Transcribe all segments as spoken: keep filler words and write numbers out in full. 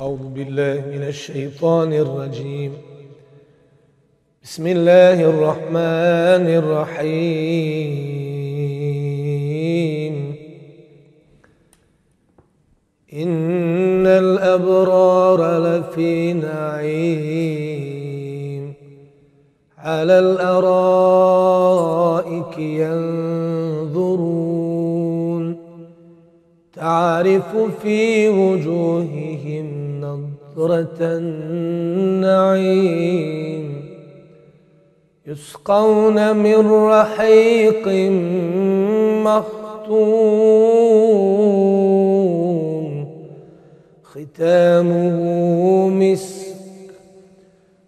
أعوذ بالله من الشيطان الرجيم بسم الله الرحمن الرحيم إن الأبرار لفي نعيم على الأرائك ينظرون تعرف في وجوههم نضرة النعيم يسقون من رحيق مختوم ختامه مسك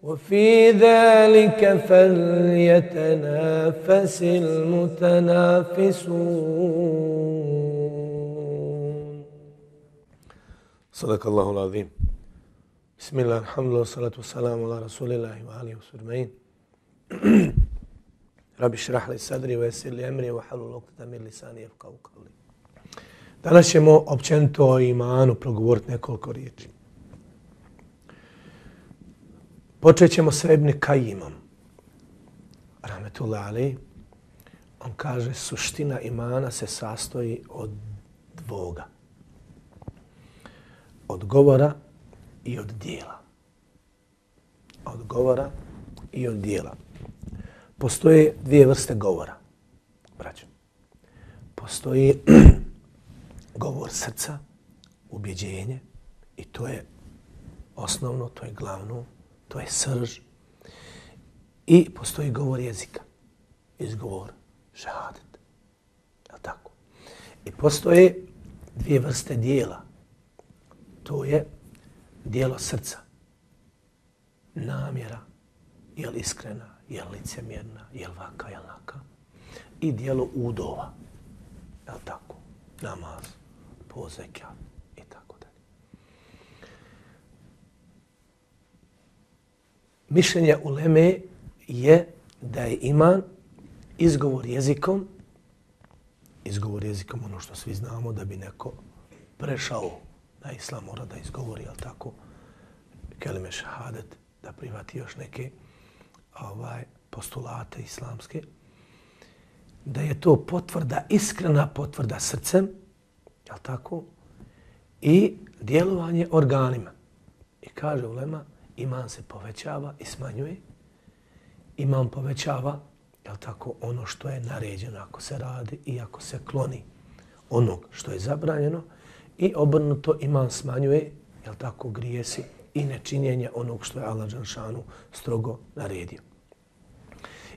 وفي ذلك فليتنافس المتنافسون. صدق الله العظيم. بسم الله الحمد لله والصلاة والسلام على رسول الله وآله وصحبه. Rabi šrah li sadri wa yessir li emri wa halul uqdatan min lisani yafqahu qawli. Danas ćemo općenito o imanu progovoriti nekoliko riječi. Počet ćemo sa Ibn Kajimom. Rahmetullahi alejhi. On kaže suština imana se sastoji od dvoga. Od govora i od dijela. Od govora i od dijela. Postoje dvije vrste govora, braćo. Postoji govor srca, ubjeđenje, i to je osnovno, to je glavno, to je srž. I postoji govor jezika, izgovor, šehadet. Je li tako? I postoje dvije vrste dijela. To je dijelo srca, namjera, je li iskrena, je li licemjerna, je li vaka, je li naka. I dijelo udova, je li tako? Namaz, pozekja i tako dalje. Mišljenje uleme je da je iman izgovor jezikom, izgovor jezikom ono što svi znamo da bi neko prešao na islam mora da izgovori, je li tako? Kelime šehadet, da prihvati još neke ovaj, postulate islamske, da je to potvrda, iskrena potvrda srcem, je li tako? I djelovanje organima. I kaže ulema, iman se povećava i smanjuje. Iman povećava, je li tako, ono što je naređeno ako se radi i ako se kloni onog što je zabranjeno. I obrnuto iman smanjuje, je li tako, grijesi i nečinjenje onog što je Allah dželešanu strogo naredio.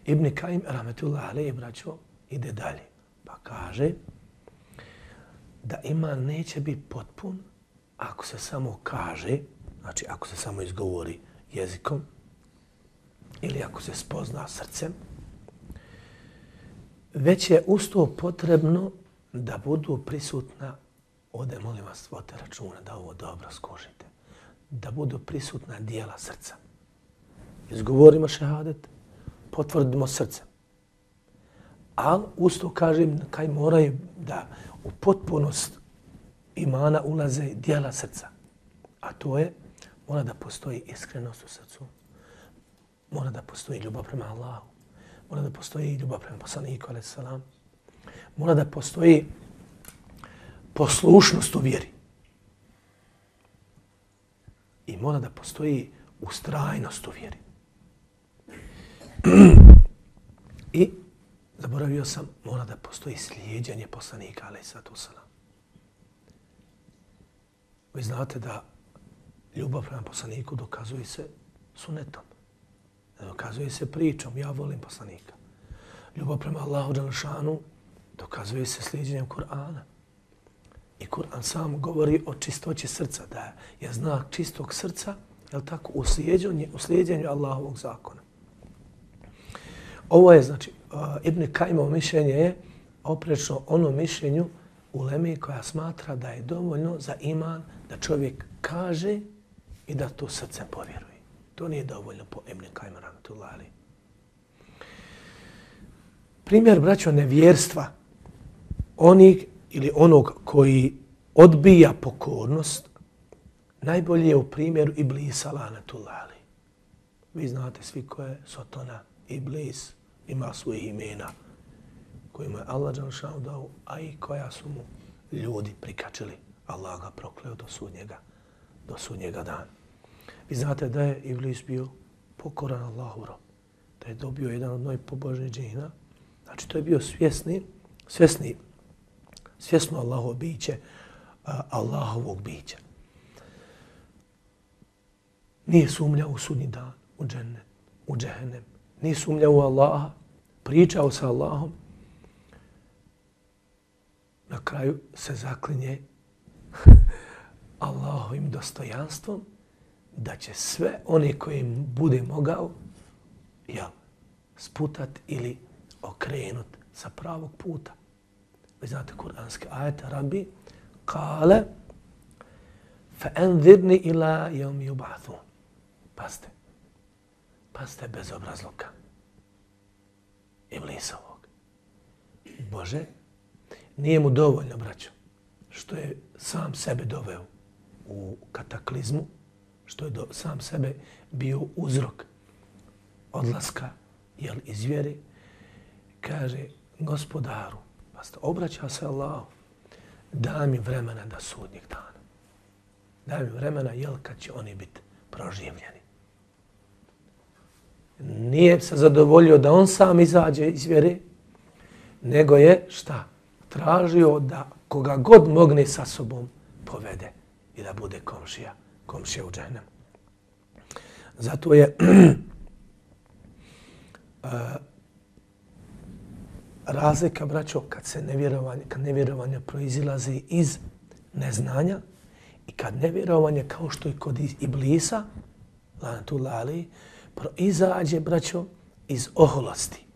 Ibn Kajim, rahmetullahi alejhi, braćo, ide dalje. Pa kaže da iman neće biti potpun ako se samo kaže, znači ako se samo izgovori jezikom ili ako se spozna srcem, već je usto potrebno da budu prisutna, ovdje molim vas, vodite računa da ovo dobro skužite, da budu prisutna dijela srca. Izgovorimo šehadet, potvrdimo srcem. Ali usto kažem kaj moraju da u potpunost imana ulaze dijela srca. A to je, mora da postoji iskrenost u srcu, mora da postoji ljubav prema Allahu, mora da postoji ljubav prema poslaniku, alejhi selam, mora da postoji poslušnost u vjeri. I mora da postoji ustrajnost u vjeri. I zaboravio sam, mora da postoji slijeđenje poslanika, alejhi salatu vesselam. Vi znate da ljubav prema poslaniku dokazuje se sunetom. Dokazuje se pričom, ja volim poslanika. Ljubav prema Allahu dželešanu dokazuje se slijedjenjem Kur'ana. I Kur'an sam govori o čistoći srca, da je znak čistog srca, je li tako, u slijedjenju, u slijedjenju Allahovog zakona. Ovo je, znači, uh, Ibn Kajimovo mišljenje je oprečno ono mišljenju uleme koja smatra da je dovoljno za iman da čovjek kaže i da to srcem povjeruje. To nije dovoljno po Ibn Kajima, rahmetullahi alejhi. Primjer, braćo, nevjerstva onih ili onog koji odbija pokornost najbolji je u primjeru Iblisa lanetullah alejhi. Vi znate svi ko je Sotona, Iblis, ima svojih imena kojima je Allah dželešanu dao, a i koja su mu ljudi prikačili. Allah ga prokleo do sudnjega, do sudnjega dana. Vi znate da je Iblis bio pokoran Allahu rob, da je dobio jedan od najpobožnijih džina. Znači to je bio svjesni, svjesni, svjesno Allahovo biće, Allahovog bića. Nije sumnjao u sudnji dan, u džennet, u džehennem. Nije sumnjao u Allaha, pričao sa Allahom. Na kraju se zaklinje Allahovim dostojanstvom da će sve one koje im bude mogao ja, sputat ili okrenut sa pravog puta. Vi znate kuranske ajete, Rabbi, kale, fa enzirni ila jevmi yub'athun. Pazite, pazite bez obrazluka. Iblisovog. Bože, nije mu dovoljno, braćo, što je sam sebe doveo u kataklizmu, što je do, sam sebe bio uzrok odlaska jel, iz vjere, kaže gospodaru, pazite, obraća se Allahu, daj mi vremena da sudnjeg dana. Daj mi vremena, jel, kad će oni biti proživljeni. Nije se zadovoljio da on sam izađe iz vjere, nego je, šta? Tražio da koga god mogne sa sobom povede i da bude komšija, komšija u džehennemu. Zato je uh, razlika, braćo, kad se nevjerovanje, kad nevjerovanje proizilazi iz neznanja i kad nevjerovanje, kao što je kod Iblisa, lanetullah alejhi, proizađe, braćo, iz oholosti,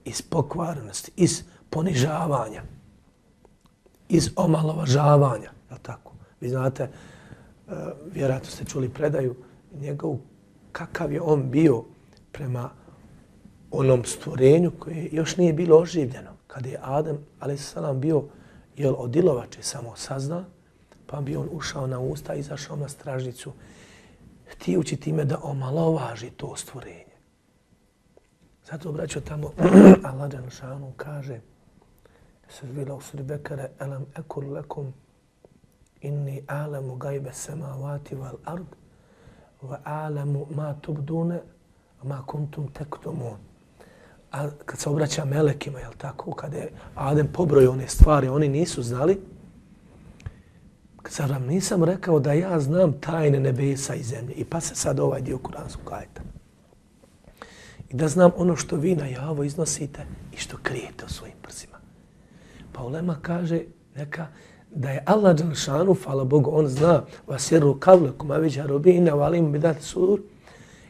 iz pokvarenosti, iz ponižavanja, iz omalovažavanja. Je tako? Vi znate, uh, vjerojatno ste čuli predaju njegov, kakav je on bio prema onom stvorenju koje još nije bilo oživljeno. Kad je Adem, alejhiselam, bio jel, od ilovače samo saznan, pa bi on ušao na usta i izašao na stražnicu, htijući time da omalovaži to stvorenje. Zato, braćo, tamo Allah dželešanu kaže, se zvila u suri Bekare, elam ekul lekum inni a'lamu gajbe samavati wal ard wa a'lamu ma tubdune ma kuntum tektumun. A kad se obraća melekima, jel tako, kada je Adem pobrojio one stvari, oni nisu znali, kad vam nisam rekao da ja znam tajne nebesa i zemlje. I pa se sad ovaj dio kuranskog ajeta. I da znam ono što vi na javo iznosite i što krijete u svojim prsima. Pa ulema kaže neka da je Allah dželešanu, hvala Bogu, on zna vasiru kavlekum aviđaru bina valim bidati sudur,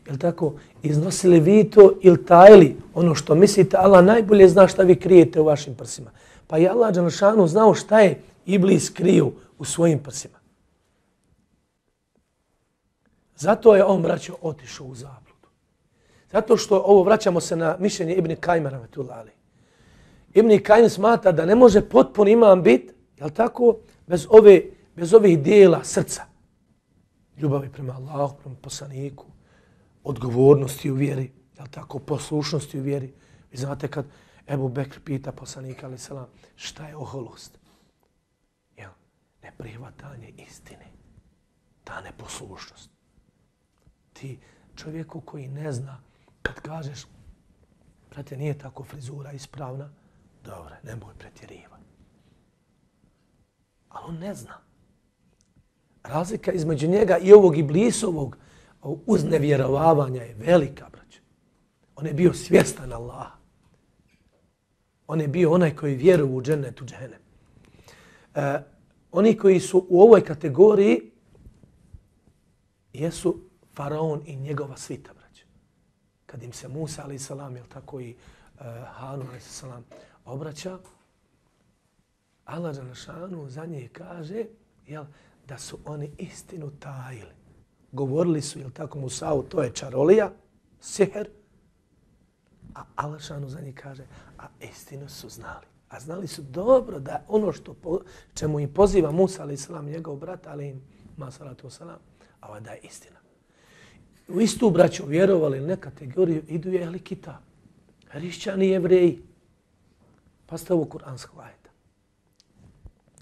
jel tako, iznosili vi to ili tajili ono što mislite, Allah najbolje zna šta vi krijete u vašim prsima. Pa je Allah dželešanu znao šta je Iblis kriju u svojim prsima. Zato je on, braćo, otišao u zabludu. Zato što ovo vraćamo se na mišljenje Ibn Kajma rahmetullah alejhi. Ibn Kajim smatra da ne može potpun iman biti, jel tako, bez ove, bez ovih dijela srca. Ljubavi prema Allahu, prema poslaniku, odgovornosti u vjeri, jel tako, poslušnosti u vjeri. Vi znate kad Ebu Bekr pita poslanika alejhi selam šta je oholost? Jel, neprihvatanje istine, ta neposlušnost. Ti čovjeku koji ne zna, kad kažeš, brate, nije tako frizura ispravna, dobro, nemoj pretjerivati. Ali on ne zna. Razlika između njega i ovog Iblisovog uznevjerovavanja je velika, braće. On je bio svjestan Allaha. On je bio onaj koji vjeruje u džennet, u džehennem. E, oni koji su u ovoj kategoriji jesu faraon i njegova svita, braće. Kad im se Musa, alejhi selam, jel tako, i uh, Harun, alejhi selam, obraća, Allah dželešanu za njih kaže, jel, da su oni istinu tajili. Govorili su, jel tako, Musa'u, to je čarolija, sihr, a Allah dželešanu za njih kaže, a istinu su znali. A znali su dobro da ono što po, čemu im poziva Musa, alejhi selam, njegov brat, ali im ma salatu wasalam, a ova da je istina. U istu braću vjerovali ili ne kategoriju idu je ehli kitab, hrišćani i jevreji. Pa ste ovo kuransko ajeta.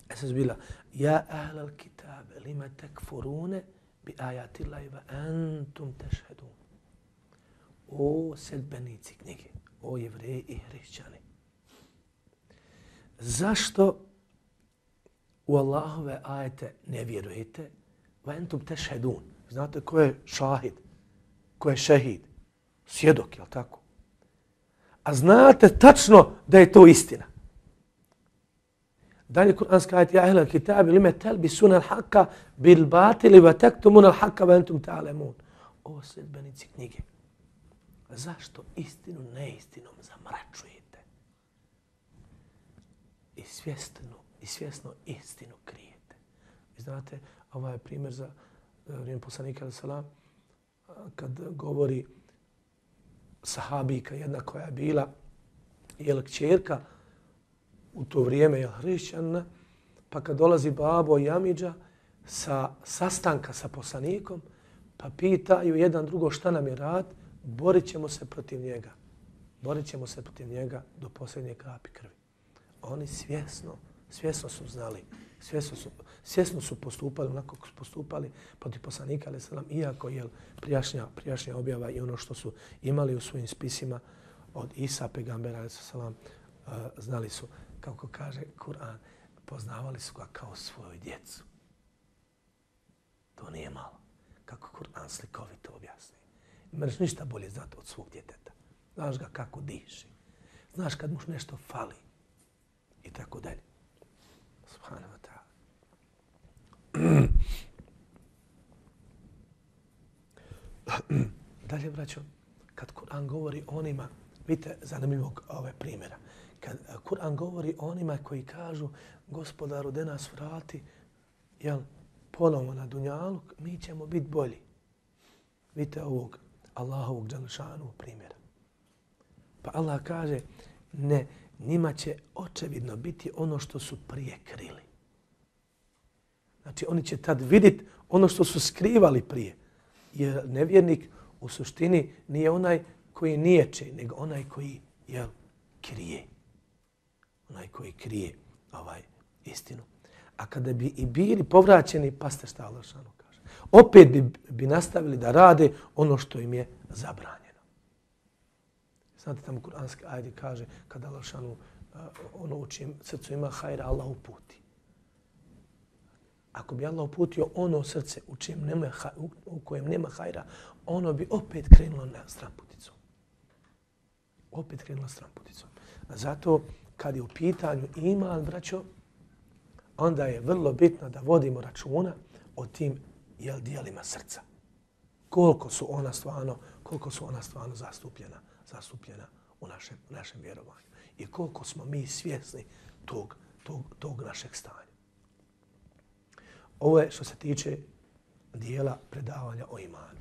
E sad bila, ja ahlal kitab, lima tekfurune bi ajatillahi va antum tešhedun. O sedbenici knjige, o jevreji i hrišćani. Zašto u Allahove ajete ne vjerujete? Va entum tešhedun. Znate ko je šahid? Ko je šehid? Svjedok, jel tako? A znate tačno da je to istina. Dalje kuranski ajet, ja ehlal kitabi lime telbisuna al-haqqa bil batili va taktumuna al-haqqa va entum ta'lamun. O sljedbenici knjige. Zašto istinu neistinom zamračujete? I svjesno, i svjesno istinu krijete. Vi znate, ovaj je primjer za vrijeme poslanika salam kad govori sahabika jedna koja je bila jel kćerka u to vrijeme je hrišćanina, pa kad dolazi babo i amidža sa sastanka sa poslanikom, pa pitaju jedan drugo šta nam je rad, borit ćemo se protiv njega. Borit ćemo se protiv njega do posljednje kapi krvi. Oni svjesno, svjesno su znali, svjesno su, svjesno su postupali onako kako su postupali protiv poslanika, ali selam, iako je prijašnja, prijašnja objava i ono što su imali u svojim spisima od Isa, pegambera, ali selam, uh, znali su, kako kaže Kur'an, poznavali su ga kao svoju djecu. To nije malo. Kako Kur'an slikovito objasni. Imaš ništa bolje znati od svog djeteta. Znaš ga kako diši. Znaš kad mu nešto fali. I tako dalje. Subhanahu wa ta'ala. Dalje, braćo, kad Kur'an govori onima, vidite zanimljivog ove primjera, kad Kur'an govori onima koji kažu gospodaru da nas vrati, jel, ponovo na dunjaluk, mi ćemo biti bolji. Vidite ovog Allahovog dželešanu primjera. Pa Allah kaže, ne, njima će očevidno biti ono što su prije krili. Znači, oni će tad vidjeti ono što su skrivali prije. Jer nevjernik u suštini nije onaj koji niječe, nego onaj koji, jel, krije. Onaj koji krije ovaj istinu. A kada bi i bili povraćeni, pa ste šta Allah šanu kaže. Opet bi, bi nastavili da rade ono što im je zabranjeno. Znate tamo kuranski ajde kaže kada Allah šanu uh, ono u čijem srcu ima hajra, Allah uputi. Ako bi Allah uputio ono srce u, čijem nema, u, u kojem nema hajra, ono bi opet krenulo na stramputicom. Opet krenulo stramputicom. A zato kad je u pitanju iman, braćo, onda je vrlo bitno da vodimo računa o tim jel, dijelima srca. Koliko su ona stvarno, koliko su ona stvarno zastupljena, zastupljena u našem, u našem vjerovanju. I koliko smo mi svjesni tog, tog, tog našeg stanja. Ovo je što se tiče dijela predavanja o imanu.